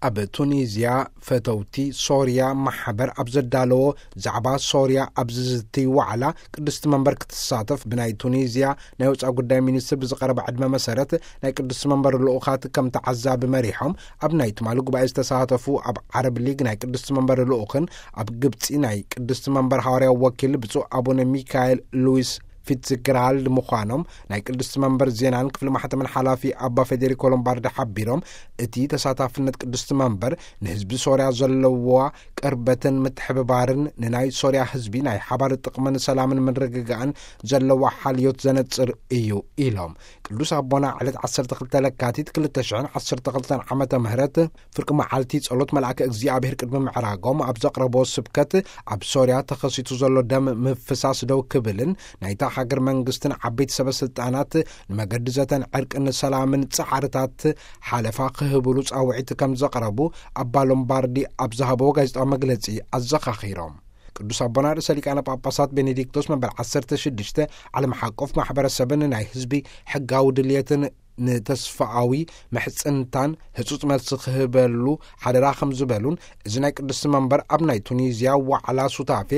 ኣብ ቱኒዝያ ፈተውቲ ሶርያ ማሕበር ኣብ ዘዳለዎ ዛዕባ ሶርያ ኣብ ዝዝቲ ዋዕላ ቅድስቲ መንበር ክትሳተፍ ብናይ ቱኒዝያ ናይ ወፃኢ ጉዳይ ሚኒስትር ብዝቐረበ ዕድመ መሰረት ናይ ቅድስቲ መንበር ልኡኻት ከም ተዓዛቢ መሪሖም ኣብ ናይ ትማሊ ጉባኤ ዝተሳተፉ ኣብ ዓረብ ሊግ ናይ ቅድስቲ መንበር ልኡኽን ኣብ ግብፂ ናይ ቅድስቲ መንበር ሃዋርያዊ ወኪል ብፁዕ ኣቡነ ሚካኤል ሉዊስ ፊትዝግራልድ ምዃኖም ናይ ቅድስቲ መንበር ዜናን ክፍሊ ማሕተምን ሓላፊ ኣባ ፌዴሪኮ ሎምባርዲ ሓቢሮም፣ እቲ ተሳታፍነት ቅድስቲ መንበር ንህዝቢ ሶርያ ዘለዋ ቅርበትን ምትሕብባርን ንናይ ሶርያ ህዝቢ ናይ ሓባር ጥቕምን ሰላምን ምርግጋእን ዘለዋ ሓልዮት ዘነጽር እዩ ኢሎም። ቅዱስ ኣቦና ዕለት ዓሰርተ ክልተ ለካቲት ክልተ ሽሕን ዓሰርተ ክልተን ዓመተ ምህረት ፍርቂ መዓልቲ ጸሎት መልኣከ እግዚኣብሔር ቅድሚ ምዕራጎም ኣብ ዘቕረቦ ስብከት፣ ኣብ ሶርያ ተኸሲቱ ዘሎ ደም ምፍሳስ ደው ክብልን ናይታ ሃገር መንግስትን ዓበይቲ ሰበ ስልጣናት ንመገዲ ዘተን ዕርቅን ሰላምን ጻዕርታት ሓለፋ ክህብሉ ጻውዒት ከም ዘቕረቡ ኣባ ሎምባርዲ ኣብ ዝሃበዎ ጋዜጣዊ መግለጺ ኣዘኻኺሮም። ቅዱስ ኣቦና ርእሰ ሊቃነ ጳጳሳት ቤኔዲክቶስ መበል ዓሰርተ ሽዱሽተ ዓለም ሓቆፍ ማሕበረሰብን ናይ ህዝቢ ሕጋዊ ድልየትን ንተስፋኣዊ ምሕጽንታን ህጹጽ መልሲ ክህበሉ ሓደራ ከም ዝበሉን፣ እዚ ናይ ቅድስቲ መንበር ኣብ ናይ ቱኒዝያ ዋዕላ ሱታፌ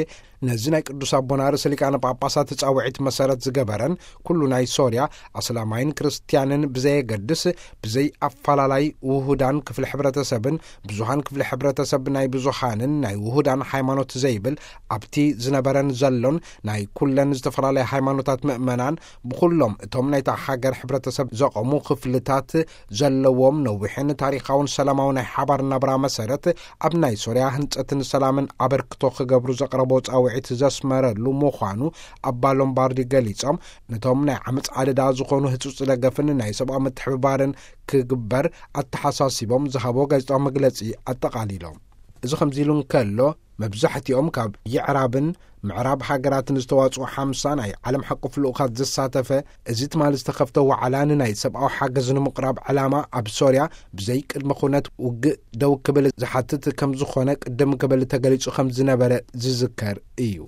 ነዚ ናይ ቅዱስ ኣቦና ርእሰ ሊቃነ ጳጳሳት ጻውዒት መሰረት ዝገበረን፣ ኩሉ ናይ ሶርያ ኣስላማይን ክርስትያንን ብዘየገድስ፣ ብዘይ ኣፈላላይ ውሁዳን ክፍሊ ሕብረተሰብን ብዙሃን ክፍሊ ሕብረተሰብ ናይ ብዙሃንን ናይ ውሁዳን ሃይማኖት ዘይብል፣ ኣብቲ ዝነበረን ዘሎን ናይ ኩለን ዝተፈላለያ ሃይማኖታት ምእመናን ብኹሎም እቶም ናይታ ሃገር ሕብረተሰብ ዘቐሙ ክፍልታት ዘለዎም ነዊሕን ታሪኻውን ሰላማዊ ናይ ሓባር ናብራ መሰረት ኣብ ናይ ሶርያ ህንጸትን ሰላምን ኣበርክቶ ክገብሩ ዘቕረቦ ጻውዒት ዘስመረሉ ምዃኑ ኣባ ሎምባርዲ ገሊጾም፣ ነቶም ናይ ዓመጽ ኣደዳ ዝኾኑ ህጹጽ ደገፍን ናይ ሰብኣዊ ምትሕብባርን ክግበር ኣተሓሳሲቦም ዝሃቦ ጋዜጣዊ መግለጺ ኣጠቓሊሎም። እዚ ከምዚ ኢሉ እንከሎ፣ መብዛሕትኦም ካብ የዕራብን ምዕራብ ሃገራትን ዝተዋጽኡ ሓምሳ ናይ ዓለም ሓቆፍ ልኡኻት ዘሳተፈ፣ እዚ ትማሊ ዝተኸፍተ ዋዕላ ንናይ ሰብኣዊ ሓገዝ ንምቕራብ ዕላማ ኣብ ሶርያ ብዘይ ቅድመ ኩነት ውግእ ደው ክብል ዝሓትት ከም ዝኾነ ቅድም ክብል ተገሊጹ ከም ዝነበረ ዝዝከር እዩ።